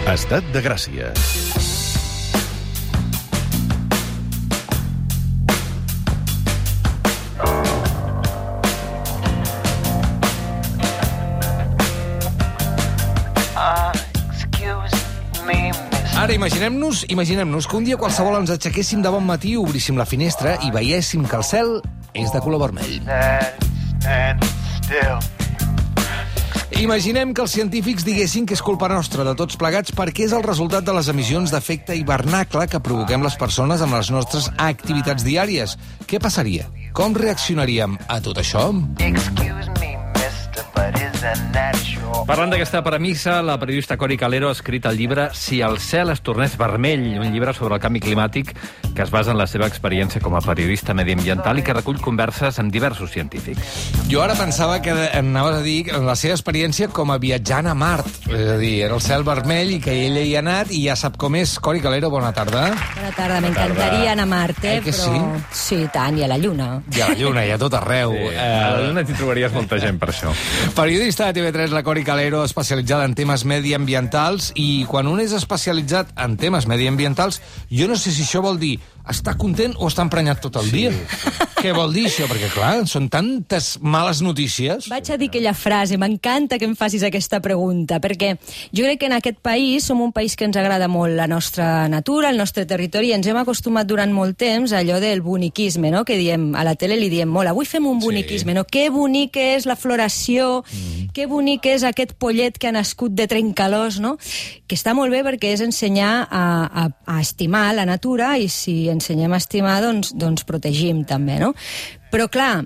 Estat de Gràcia. Ara imaginem-nos que un dia qualsevol ens aixequéssim de bon matí, obríssim la finestra i veiéssim que el cel és de color vermell. Imaginem que els científics diguessin que és culpa nostra, de tots plegats, perquè és el resultat de les emissions d'efecte hivernacle que provoquem les persones amb les nostres activitats diàries. Què passaria? Com reaccionaríem a tot això? Parlant d'aquesta premissa, la periodista Cori Calero ha escrit el llibre Si el cel es tornés vermell, un llibre sobre el canvi climàtic que es basa en la seva experiència com a periodista mediambiental i que recull converses amb diversos científics. Jo ara pensava que anaves a dir la seva experiència com a viatjant a Mart. És a dir, era el cel vermell i que ella hi ha anat i ja sap com és. Cori Calero, bona tarda. Bona tarda, m'encantaria anar a Mart, que però... Sí, tant, i a la Lluna. I a la Lluna, i a tot arreu. Sí, a la Lluna t'hi trobaries molta gent per això. Periodista de TV3, la Cori Calero, especialitzada en temes mediambientals, i quan un és especialitzat en temes mediambientals, jo no sé si això vol dir estar content o estar emprenyat tot el dia. Què vol dir això? Perquè, clar, són tantes males notícies. Vaig a dir aquella frase, m'encanta que em facis aquesta pregunta, perquè jo crec que en aquest país som un país que ens agrada molt la nostra natura, el nostre territori, i ens hem acostumat durant molt temps a allò del boniquisme, no? Que diem, a la tele li diem molt, avui fem un boniquisme, no? Que bonic és la floració, que bonic és aquest pollet que ha nascut de trencalós, no? Que està molt bé perquè és ensenyar a estimar la natura, i si ensenyem a estimar, doncs protegim també, no? Però, clar,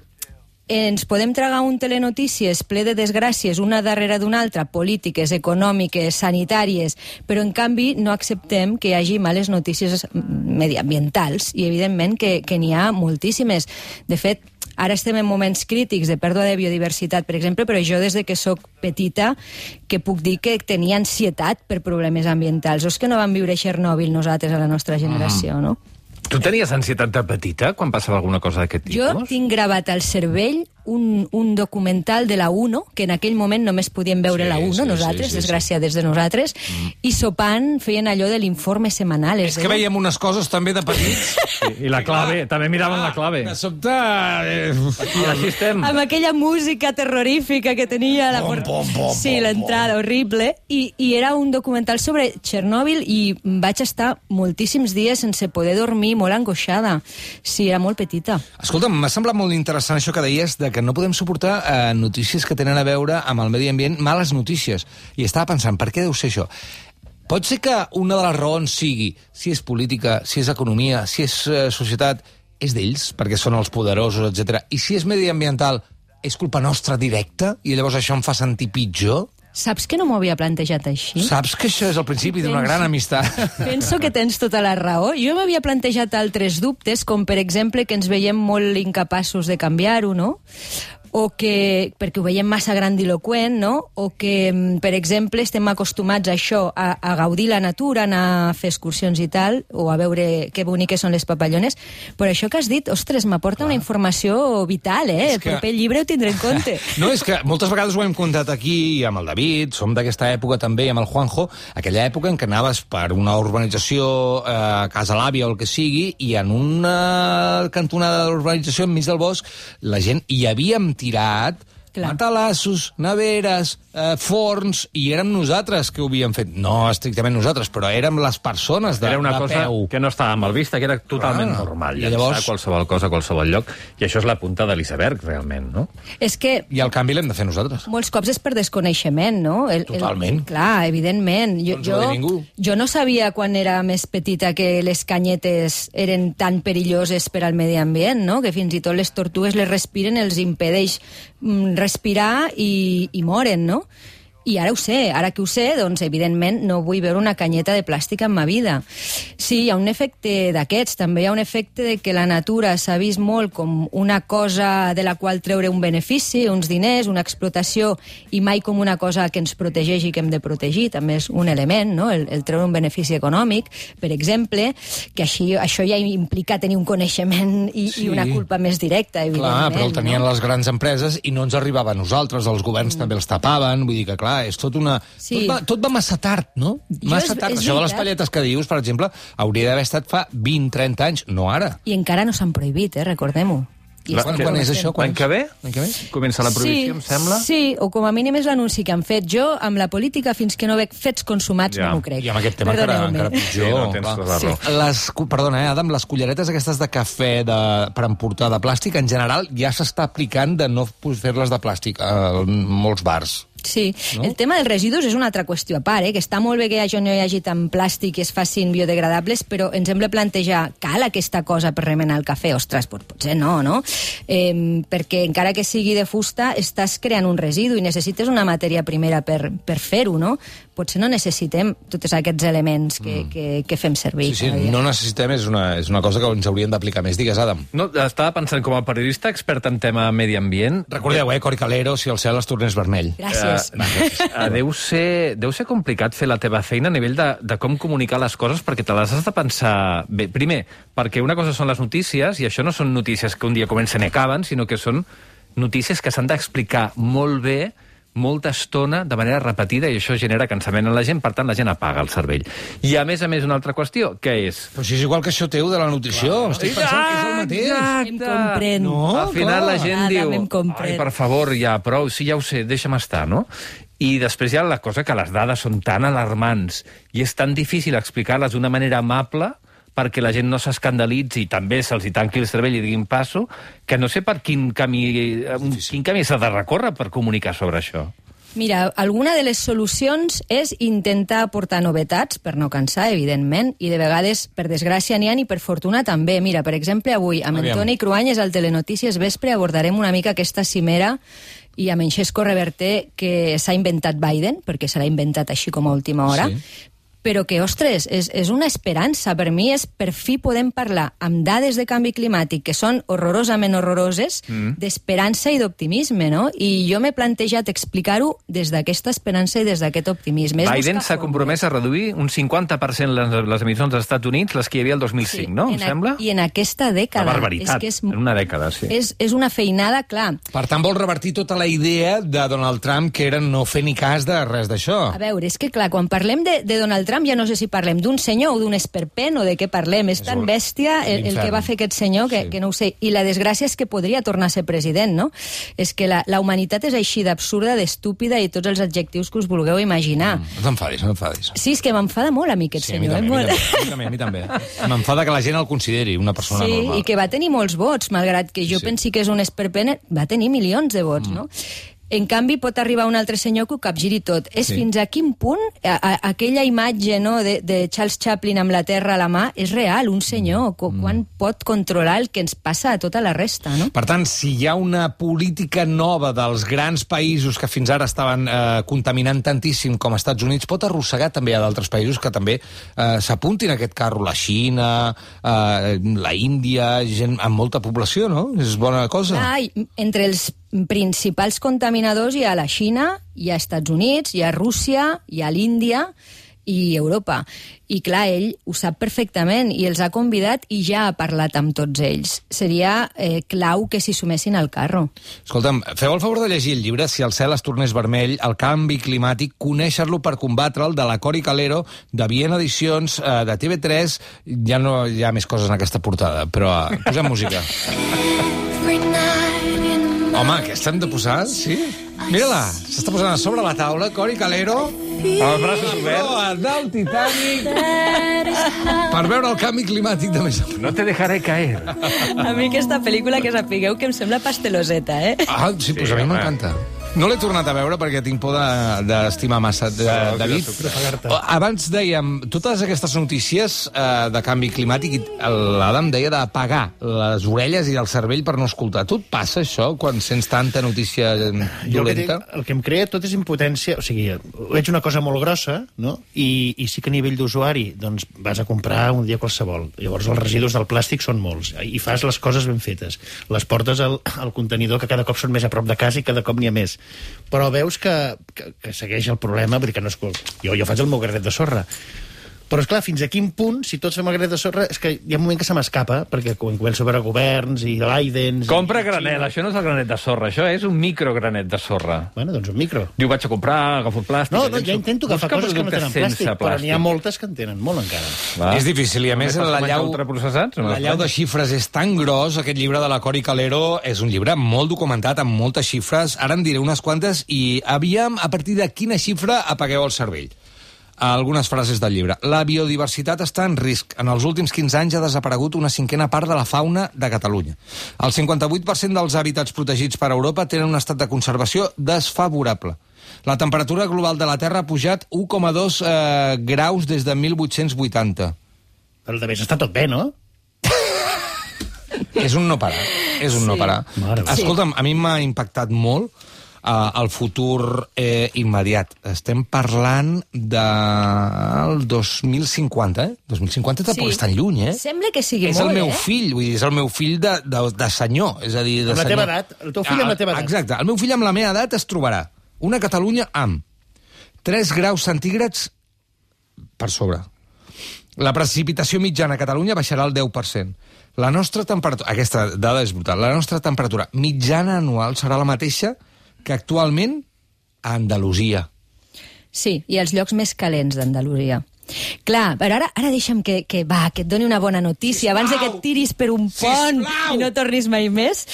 ens podem tragar un telenotícies ple de desgràcies, una darrere d'una altra, polítiques, econòmiques, sanitàries, però, en canvi, no acceptem que hi hagi males notícies mediambientals, i, evidentment, que n'hi ha moltíssimes. De fet, ara estem en moments crítics de pèrdua de biodiversitat, per exemple, però jo des de que sóc petita que puc dir que tenia ansietat per problemes ambientals. O és que no vam viure a Chernobyl nosaltres a la nostra generació, no? Tu tenies ansietat de petita quan passava alguna cosa d'aquest tipus? Jo tinc gravat al cervell un documental de la UNO, que en aquell moment només podíem veure la UNO, nosaltres, desgraciades de nosaltres, i sopant feien allò de l'informe setmanal. És que veiem unes coses també de petits. I la clave, també miraven la clave. De sobte... I així estem. Amb aquella música terrorífica que tenia l'entrada horrible, i era un documental sobre Chernobyl, i vaig estar moltíssims dies sense poder dormir, molt angoixada. Sí, era molt petita. Escolta'm, m'ha semblat molt interessant això que deies de que no podem suportar notícies que tenen a veure amb el medi ambient, males notícies. I estava pensant, per què deu ser això? Pot ser que una de les raons sigui, si és política, si és economia, si és societat, és d'ells, perquè són els poderosos, etc. I si és mediambiental, és culpa nostra directa? I llavors això em fa sentir pitjor? Saps que no m'ho havia plantejat així? Saps que això és el principi d'una gran amistat? Penso que tens tota la raó. Jo m'havia plantejat altres dubtes, com per exemple que ens veiem molt incapaços de canviar-ho, no? O que, perquè ho veiem massa grandiloquent, no? O que, per exemple, estem acostumats a això, a gaudir la natura, anar a fer excursions i tal, o a veure que boniques són les papallones. Però això que has dit, ostres, m'aporta una informació vital, eh? El proper llibre ho tindré en compte. No, és que moltes vegades ho hem contat aquí, i amb el David, som d'aquesta època també, i amb el Juanjo, aquella època en què anaves per una urbanització, casa l'àvia o el que sigui, i en una cantonada de l'urbanització, enmig del bosc, la gent hi havíem tirat matalassos, neveres, forns, i érem nosaltres que ho havíem fet. No estrictament nosaltres, però érem les persones de peu. Era una cosa que no estava mal vista, que era totalment normal. I llavors... qualsevol cosa a qualsevol lloc. I això és la punta de l'iceberg, realment, no? És que... I el canvi l'hem de fer nosaltres. Molts cops és per desconeixement, no? Totalment. Clar, evidentment. Jo no sabia quan era més petita que les canyetes eren tan perilloses per al medi ambient, no? Que fins i tot les tortugues les respiren, els impedeix respirar i moren, no? I ara ho sé, ara que ho sé, doncs evidentment no vull veure una canyeta de plàstic en ma vida. Sí, hi ha un efecte d'aquests, també hi ha un efecte de que la natura s'ha vist molt com una cosa de la qual treure un benefici, uns diners, una explotació, i mai com una cosa que ens protegeix i que hem de protegir, també és un element, no? El treure un benefici econòmic, per exemple, que això ja implica tenir un coneixement i una culpa més directa, evidentment. Clar, però el tenien les grans empreses i no ens arribava a nosaltres, els governs també els tapaven, vull dir que, clar, clar, és tot una... Sí. Tot va massa tard, no? Massa tard. és Això de les veritat. palletes que dius, per exemple, hauria d'haver estat fa 20-30 anys, no ara. I encara no s'han prohibit, recordem-ho. I Quan és això? L'any que ve? L'any que ve? Comença la prohibició, em sembla? Sí, o com a mínim és l'anunci que han fet. Jo, amb la política, fins que no veig fets consumats, Ja. no m'ho crec. I amb aquest tema encara pitjor. Sí, no, tens tota la raó. Perdona, Adam, les culleretes aquestes de cafè per emportar de plàstic, en general, ja s'està aplicant de no fer-les de plàstic a molts bars. Sí, No? el tema dels residus és una altra qüestió a part, que està molt bé que això no hi hagi tant plàstic i es facin biodegradables, però ens hem de plantejar, cal aquesta cosa per remenar el cafè? Ostres, potser no, no? Perquè encara que sigui de fusta, estàs creant un residu i necessites una matèria primera per fer-ho, no? Potser no necessitem tots aquests elements que fem servir. Sí, cada dia. no necessitem, és una cosa que ens hauríem d'aplicar més. Digues, Adam. No, estava pensant com a periodista expert en tema medi ambient. Recordeu, Cori Calero, si el cel es tornés vermell. Gràcies. Deu ser complicat fer la teva feina a nivell de com comunicar les coses, perquè te les has de pensar bé. Primer, perquè una cosa són les notícies, i això no són notícies que un dia comencen i acaben, sinó que són notícies que s'han d'explicar molt bé, molta estona, de manera repetida, i això genera cansament a la gent, per tant, la gent apaga el cervell. I, a més, una altra qüestió, què és? Però si és igual que això teu de la nutrició, estic pensant que és el mateix. Em comprèn. No, Al final la gent Adam, diu, em comprèn. ai, per favor, ja, prou, sí, ja ho sé, deixa'm estar, no? I després hi ha la cosa que les dades són tan alarmants i és tan difícil explicar-les d'una manera amable perquè la gent no s'escandalitzi i també se'ls hi tanqui el cervell i diguin passo, que no sé per quin camí s'ha de recórrer per comunicar sobre això. Mira, alguna de les solucions és intentar aportar novetats, per no cansar, evidentment, i de vegades, per desgràcia, n'hi ha i per fortuna també. Mira, per exemple, avui, amb Aviam. Antoni Cruanyes al Telenotícies Vespre abordarem una mica aquesta cimera i amb en Xesco Reverter que s'ha inventat Biden, perquè se l'ha inventat així com a última hora, Sí. però que, ostres, és una esperança. Per mi és, per fi podem parlar amb dades de canvi climàtic que són horrorosament horroroses, d'esperança i d'optimisme, no? I jo m'he plantejat explicar-ho des d'aquesta esperança i des d'aquest optimisme. És Biden buscar s'ha compromès a reduir un 50% les emissions dels Estats Units, les que hi havia el 2005, no? Em sembla? I en aquesta dècada. Una barbaritat, és en una dècada, sí. És una feinada, clar. Per tant, vol revertir tota la idea de Donald Trump, que era no fer ni cas de res d'això. A veure, és que clar, quan parlem de Donald Trump ja no sé si parlem d'un senyor o d'un esperpent o de què parlem. És tan bèstia el que va fer aquest senyor que no ho sé. I la desgràcia és que podria tornar a ser president, no? És que la humanitat és així d'absurda, d'estúpida i tots els adjectius que us vulgueu imaginar. No t'enfadis, no t'enfadis. Sí, és que m'enfada molt a mi aquest Sí, a mi senyor. també, a mi també. M'enfada que la gent el consideri una persona Sí, normal. i que va tenir molts vots, malgrat que jo Sí. pensi que és un esperpent, va tenir milions de vots, no? En canvi, pot arribar un altre senyor que ho capgiri tot. És Sí. fins a quin punt aquella imatge, no, de Charles Chaplin amb la terra a la mà és real, un senyor, quan pot controlar el que ens passa a tota la resta, no? Per tant, si hi ha una política nova dels grans països que fins ara estaven contaminant tantíssim com els Estats Units, pot arrossegar també a d'altres països que també s'apuntin a aquest carro. La Xina, la Índia, gent amb molta població, no? És bona cosa. Entre els principals contaminadors hi ha la Xina, hi ha Estats Units, hi ha Rússia, hi ha l'Índia i Europa. I clar, ell ho sap perfectament i els ha convidat i ja ha parlat amb tots ells. Seria clau que s'hi sumessin al carro. Escolta'm, feu el favor de llegir el llibre Si el cel es tornés vermell, el canvi climàtic, conèixer-lo per combatre'l, de la Cori Calero, de Viena Edicions, de TV3. Ja no hi ha més coses en aquesta portada, però posem música. Home, aquesta hem de posar, sí? Mira-la, s'està posant a sobre la taula, Cori Calero, Amb els braços oberts. proa del Titanic, per veure el canvi climàtic de més a prop. No te dejaré caer. A mi aquesta pel·lícula, que sapigueu que em sembla pasteloseta, Ah, sí, doncs a mi home. m'encanta. No l'he tornat a veure perquè tinc por d'estimar massa David. Abans dèiem, totes aquestes notícies de canvi climàtic, l'Adam deia d'apagar les orelles i el cervell per no escoltar. Tu et passa això quan sents tanta notícia dolenta? El que em crea tot és impotència. O sigui, veig una cosa molt grossa, no? I sí que a nivell d'usuari doncs, vas a comprar un dia qualsevol. Llavors els residus del plàstic són molts i fas les coses ben fetes. Les portes al contenidor, que cada cop són més a prop de casa i cada cop n'hi ha més. Però veus que segueix el problema, vull dir que no és... Jo faig el meu granet de sorra. Però, esclar, fins a quin punt, si tots fem el granet de sorra, és que hi ha un moment que se m'escapa, perquè quan començo a veure governs i Bidens... Compra granel, això no és el granet de sorra, això és un microgranet de sorra. Bueno, doncs un micro. Diu, vaig a comprar, agafo plàstic... No, ja intento agafar coses que no tenen plàstic, però n'hi ha moltes que en tenen molt encara. Va. És difícil, i a més l'allau de xifres és tan gros, aquest llibre de la Cori Calero és un llibre molt documentat, amb moltes xifres, ara en diré unes quantes, i aviam a partir de quina xifra apagueu el cervell. Algunes frases del llibre. La biodiversitat està en risc. En els últims 15 anys ha desaparegut una cinquena part de la fauna de Catalunya. El 58% dels hàbitats protegits per Europa tenen un estat de conservació desfavorable. La temperatura global de la Terra ha pujat 1,2 graus des de 1880. Però també està tot bé, no? És un no parar. És un no parar. Escolta'm, a mi m'ha impactat molt el futur immediat. Estem parlant del 2050, 2050 tampoc és tan lluny, Sembla que sigui és molt, el meu fill, vull dir, és el meu fill de senyor, és a dir, de Amb la senyor. teva edat, el teu fill amb la teva edat. Exacte, el meu fill amb la meva edat es trobarà una Catalunya amb 3 graus centígrads per sobre. La precipitació mitjana a Catalunya baixarà al 10%. La nostra temperatura, aquesta dada és brutal, la nostra temperatura mitjana anual serà la mateixa que actualment a Andalusia. Sí, i els llocs més calents d'Andalusia. Clar, però ara deixa'm que et doni una bona notícia, abans de que et tiris per un pont i no tornis mai més,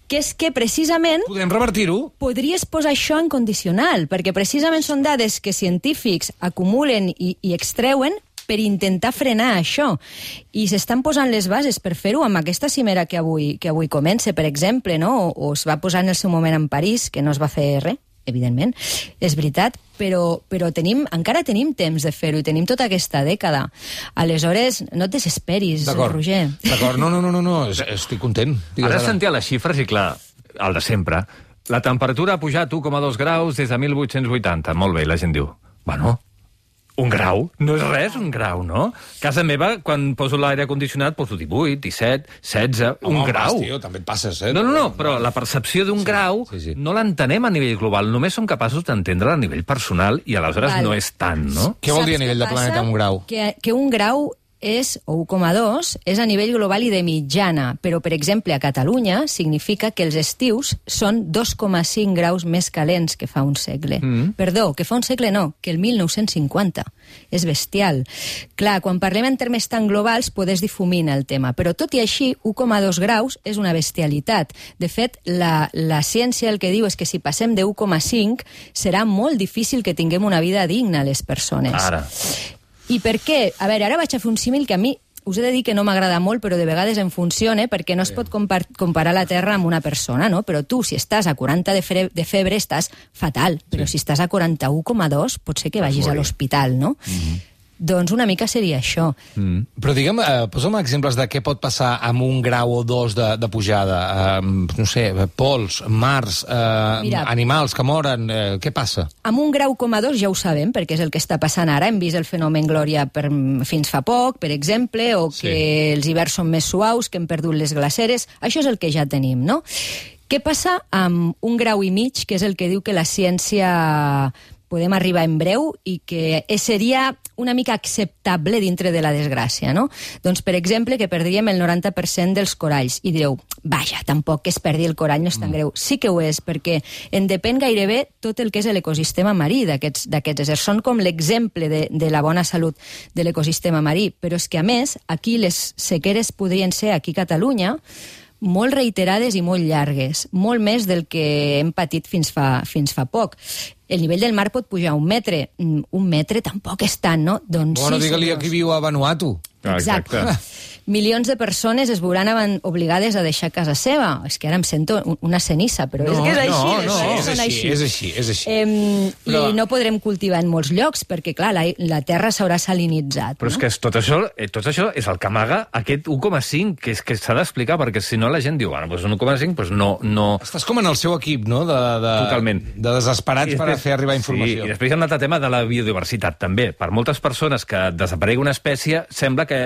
que és que precisament... Podem revertir-ho? Podries posar això en condicional, perquè precisament són dades que científics acumulen i extreuen per intentar frenar això. I s'estan posant les bases per fer-ho amb aquesta cimera que avui comença, per exemple, no? O es va posar en el seu moment en París, que no es va fer res, evidentment, és veritat, però encara tenim temps de fer-ho i tenim tota aquesta dècada. Aleshores, no et desesperis, Roger. D'acord, no, estic content. Ara sentia les xifres i, clar, el de sempre. La temperatura ha pujat 1,2 graus des de 1880. Molt bé, la gent diu, bueno, un grau? No és res, un grau, no? Casa meva, quan poso l'aire condicionat, poso 18, 17, 16, un grau. Tio, també et passes, No, però la percepció d'un grau no l'entenem a nivell global, només som capaços d'entendre a nivell personal i aleshores no és tant, no? Què vol dir a nivell de planeta un grau? Que un grau és, o 1,2, és a nivell global i de mitjana, però, per exemple, a Catalunya significa que els estius són 2,5 graus més calents que fa un segle. Perdó, que fa un segle no, que el 1950. És bestial. Clar, quan parlem en termes tan globals, podés difuminar el tema, però tot i així, 1,2 graus és una bestialitat. De fet, la ciència el que diu és que si passem de 1,5 serà molt difícil que tinguem una vida digna les persones. Ara. I per què? A veure, ara vaig a fer un símil que a mi us he de dir que no m'agrada molt, però de vegades em funciona, perquè no es pot comparar la Terra amb una persona, no? Però tu, si estàs a 40 de febre, estàs fatal. Però si estàs a 41,2, pot ser que vagis a l'hospital, no? Doncs una mica seria això. Però digue'm, posa'm exemples de què pot passar amb 1 grau o 2 de pujada. No sé, pols, mars, animals que moren, què passa? Amb 1,2 grau ja ho sabem, perquè és el que està passant ara. Hem vist el fenomen Glòria fins fa poc, per exemple, o que els hiverns són més suaus, que hem perdut les glaceres. Això és el que ja tenim, no? Què passa amb 1,5 graus, que és el que diu que la ciència podem arribar en breu i que seria una mica acceptable dintre de la desgràcia, no? Doncs, per exemple, que perdríem el 90% dels coralls. I direu, vaja, tampoc que es perdi el corall no és tan greu. Sí que ho és, perquè en depèn gairebé tot el que és l'ecosistema marí d'aquests éssers. Són com l'exemple de la bona salut de l'ecosistema marí. Però és que, a més, aquí les sequeres podrien ser, aquí a Catalunya, molt reiterades i molt llargues, molt més del que hem patit fins fa poc. El nivell del mar pot pujar 1 metre. 1 metre tampoc és tant, no? Doncs bueno, digue-li a qui viu a Vanuatu. Exacte. Milions de persones es veuran obligades a deixar casa seva. És que ara em sento una cenissa, però és que és així. És així. I no podrem cultivar en molts llocs, perquè, clar, la terra s'haurà salinitzat. Però és que tot això és el que amaga aquest 1,5, que és que s'ha d'explicar, perquè si no la gent diu, bueno, doncs un 1,5, doncs no... Estàs com en el seu equip, no? Totalment. De desesperats per fer arribar informació. Sí, i després hi ha un altre tema de la biodiversitat, també. Per moltes persones que desaparegui una espècie, sembla que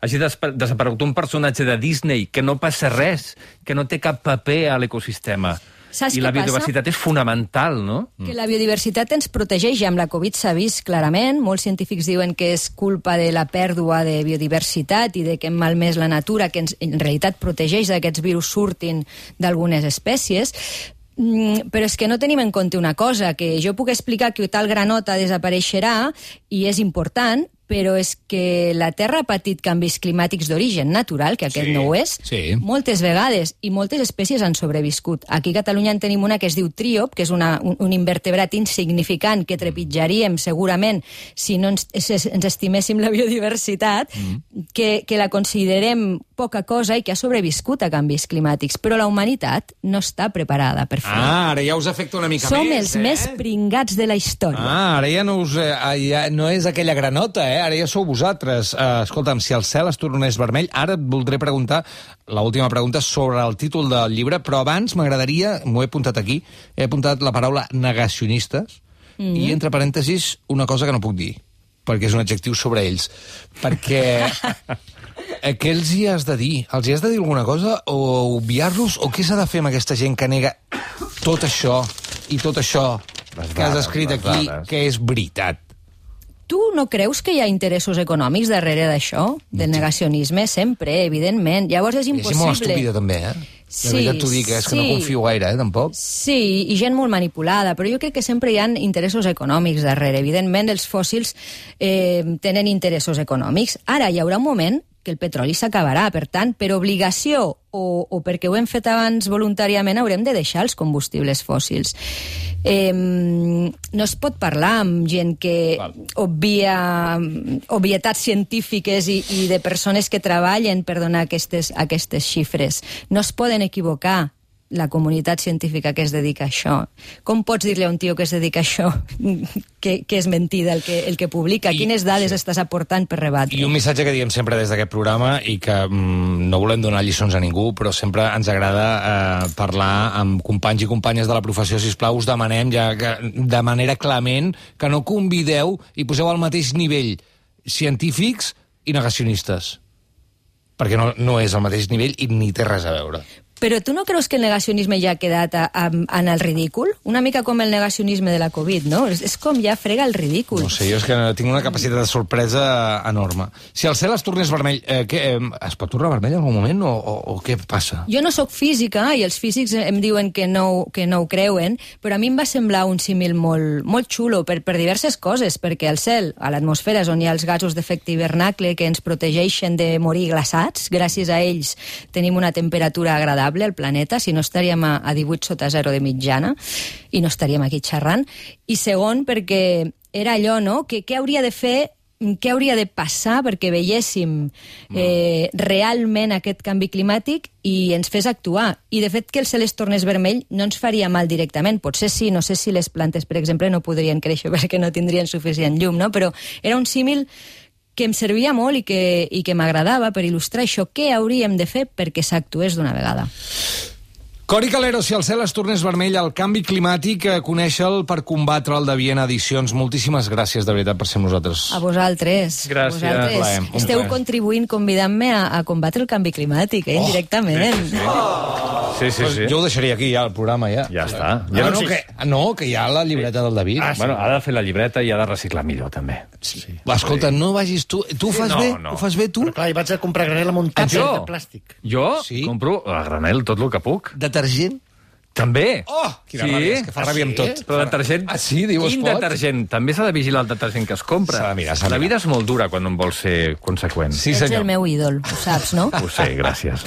hagi desaparegut un personatge de Disney, que no passa res, que no té cap paper a l'ecosistema. Saps I què la passa? biodiversitat és fonamental, no? Que la biodiversitat ens protegeix, i amb la Covid s'ha vist clarament. Molts científics diuen que és culpa de la pèrdua de biodiversitat i de que hem malmès la natura, que en realitat protegeix que aquests virus surtin d'algunes espècies. Però és que no tenim en compte una cosa, que jo puc explicar que tal granota desapareixerà i és important, però és que la Terra ha patit canvis climàtics d'origen natural, que aquest no ho és, moltes vegades, i moltes espècies han sobreviscut. Aquí a Catalunya en tenim una que es diu tríop, que és un invertebrat insignificant que trepitjaríem segurament si no ens estiméssim la biodiversitat, que la considerem poca cosa i que ha sobreviscut a canvis climàtics. Però la humanitat no està preparada per fer. Ara ja us afecta una mica Som més, els més pringats de la història. Ara ja no és aquella granota, ara ja sou vosaltres. Escolta'm, si el cel es tornés vermell, ara et voldré preguntar l'última pregunta sobre el títol del llibre, però abans m'agradaria, m'ho he apuntat aquí, he apuntat la paraula negacionistes, i entre parèntesis una cosa que no puc dir, perquè és un adjectiu sobre ells. Perquè què els hi has de dir? Els hi has de dir alguna cosa o obviar-los? O què s'ha de fer amb aquesta gent que nega tot això i tot això que has escrit aquí, que és veritat? Tu no creus que hi ha interessos econòmics darrere d'això? Del negacionisme? Sempre, evidentment. Llavors és impossible. És molt estúpida, també, De veritat t'ho dic, és que no confio gaire, tampoc. Sí, i gent molt manipulada, però jo crec que sempre hi ha interessos econòmics darrere. Evidentment, els fòssils tenen interessos econòmics. Ara, hi haurà un moment que el petroli s'acabarà, per tant, per obligació o perquè ho hem fet abans voluntàriament, haurem de deixar els combustibles fòssils. No es pot parlar amb gent que obvia obvietats científiques i de persones que treballen per donar aquestes xifres. No es poden equivocar la comunitat científica que es dedica a això. Com pots dir-li a un tio que es dedica a això que és mentida el que publica? Quines dades estàs aportant per rebatre? I un missatge que diem sempre des d'aquest programa i que no volem donar lliçons a ningú, però sempre ens agrada parlar amb companys i companyes de la professió. Sisplau, us demanem ja que, de manera clement, que no convideu i poseu al mateix nivell científics i negacionistes, perquè no és al mateix nivell i ni té res a veure. Però tu no creus que el negacionisme ja ha quedat en el ridícul? Una mica com el negacionisme de la Covid, no? És com ja frega el ridícul. No sé, jo és que tinc una capacitat de sorpresa enorme. Si el cel es tornés vermell, es pot tornar vermell en algun moment o què passa? Jo no sóc física i els físics em diuen que no ho creuen, però a mi em va semblar un símil molt xulo per diverses coses, perquè al cel, a l'atmosfera, és on hi ha els gasos d'efecte hivernacle que ens protegeixen de morir glaçats. Gràcies a ells tenim una temperatura agradable al planeta, si no estaríem a 18 sota 0 de mitjana i no estaríem aquí xerrant. I segon, perquè era allò, no?, que què hauria de fer, què hauria de passar perquè veiéssim realment aquest canvi climàtic i ens fes actuar. I, de fet, que el cel es tornés vermell no ens faria mal directament. Potser sí, no sé si les plantes, per exemple, no podrien créixer perquè no tindrien suficient llum, no? Però era un símil que em servia molt i que m'agradava per il·lustrar això. Què hauríem de fer perquè s'actués d'una vegada? Cori Calero, si el cel es tornés vermell, el canvi climàtic, conèixer-el per combatre el de Viena Edicions. Moltíssimes gràcies, de veritat, per ser amb nosaltres. A vosaltres. Gràcies. Vosaltres. Esteu contribuint, convidant-me a combatre el canvi climàtic, indirectament. Sí. Jo ho deixaria aquí, ja, el programa, ja. Ja està. Que hi ha la llibreta del David. Bueno, ha de fer la llibreta i ha de reciclar millor, també. Escolta, no vagis tu... Tu ho fas bé? Ho fas bé, tu? Però clar, vaig a comprar granel amb un tàper de plàstic. Jo Sí. compro a granel tot el que puc. Detergent? També. Oh, quina ràbia, és que fa ràbia amb tot. Però detergent... Ah, sí? Diu, es Quin pot? detergent? També s'ha de vigilar el detergent que es compra. S'ha de mirar, s'ha de La mirar. vida és molt dura quan no en vols ser conseqüent. Sí, Ets senyor. el meu ídol, ho saps, no? Ho sé, gràcies.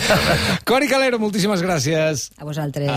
Cori Calero, moltíssimes gràcies. A vosaltres.